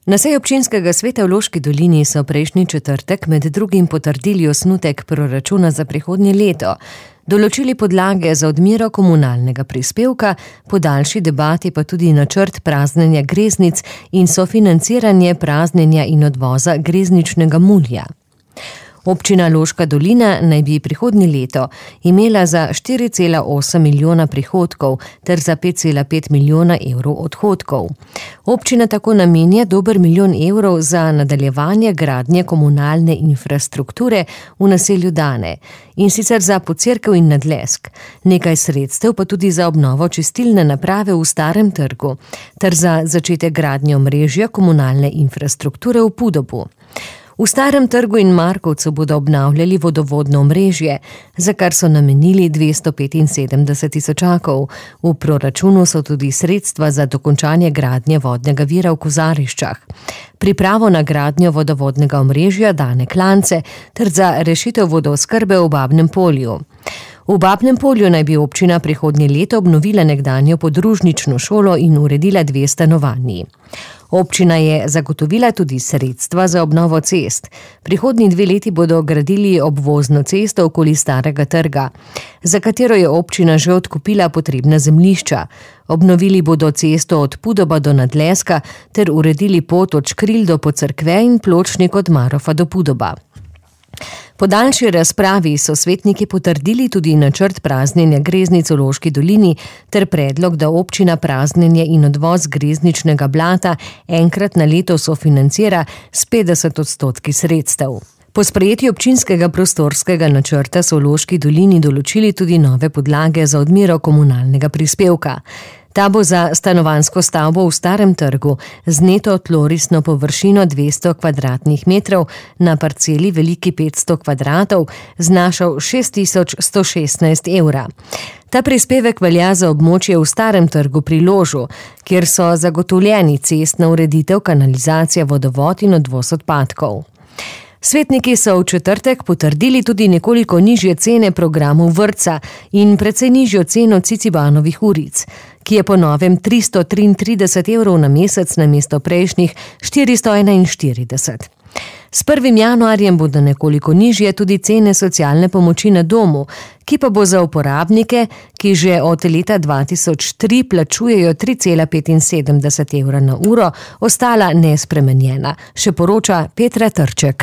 Na seji občinskega sveta v Loški dolini so prejšnji četrtek med drugim potrdili osnutek proračuna za prihodnje leto, določili podlage za odmero komunalnega prispevka, po daljši debati pa tudi načrt praznjenja greznic in sofinanciranje praznjenja in odvoza grezničnega mulja. Občina Loška dolina naj bi prihodnje leto imela za 4,8 milijona prihodkov ter za 5,5 milijona evrov odhodkov. Občina tako namenja dober milijon evrov za nadaljevanje gradnje komunalne infrastrukture v naselju Dane, in sicer za Pocerkev in Nadlesk, nekaj sredstev pa tudi za obnovo čistilne naprave v Starem trgu ter za začetek gradnje omrežja komunalne infrastrukture v Pudobu. V Starem trgu in Markovcu bodo obnavljali vodovodno omrežje, za kar so namenili 275 tisočakov. V proračunu so tudi sredstva za dokončanje gradnje vodnega vira v Kozariščah, pripravo na gradnjo vodovodnega omrežja Dane Klance ter za rešitev vodooskrbe v Babnem Polju. V Babnem Polju naj bi občina prihodnje leto obnovila nekdanjo podružnično šolo in uredila 2 stanovanji. Občina je zagotovila tudi sredstva za obnovo cest. Prihodnji 2 leti bodo gradili obvozno cesto okoli Starega trga, za katero je občina že odkupila potrebna zemljišča. Obnovili bodo cesto od Pudoba do Nadleska ter uredili pot od Škril do Pocerkve in pločnik od Marofa do Pudoba. Po daljši razpravi so svetniki potrdili tudi načrt praznjenja greznic v Loški dolini ter predlog, da občina praznjenje in odvoz grezničnega blata enkrat na leto sofinancira s 50% sredstev. Po sprejetju občinskega prostorskega načrta so v Loški dolini določili tudi nove podlage za odmero komunalnega prispevka. Ta bo za stanovanjsko stavbo v Starem trgu z neto tlorisno površino 200 kvadratnih metrov na parceli veliki 500 kvadratov znašal 6116 evra. Ta prispevek velja za območje v Starem trgu pri Ložu, kjer so zagotovljeni cestna ureditev, kanalizacija, vodovod in odvoz odpadkov. Svetniki so v četrtek potrdili tudi nekoliko nižje cene programov vrtca in precej nižjo ceno Cicibanovih uric, ki je po novem 333 evrov na mesec namesto prejšnjih 441. S 1. januarjem bodo nekoliko nižje tudi cene socialne pomoči na domu, ki pa bo za uporabnike, ki že od leta 2003 plačujejo 3,75 evra na uro, ostala nespremenjena, še poroča Petra Trček.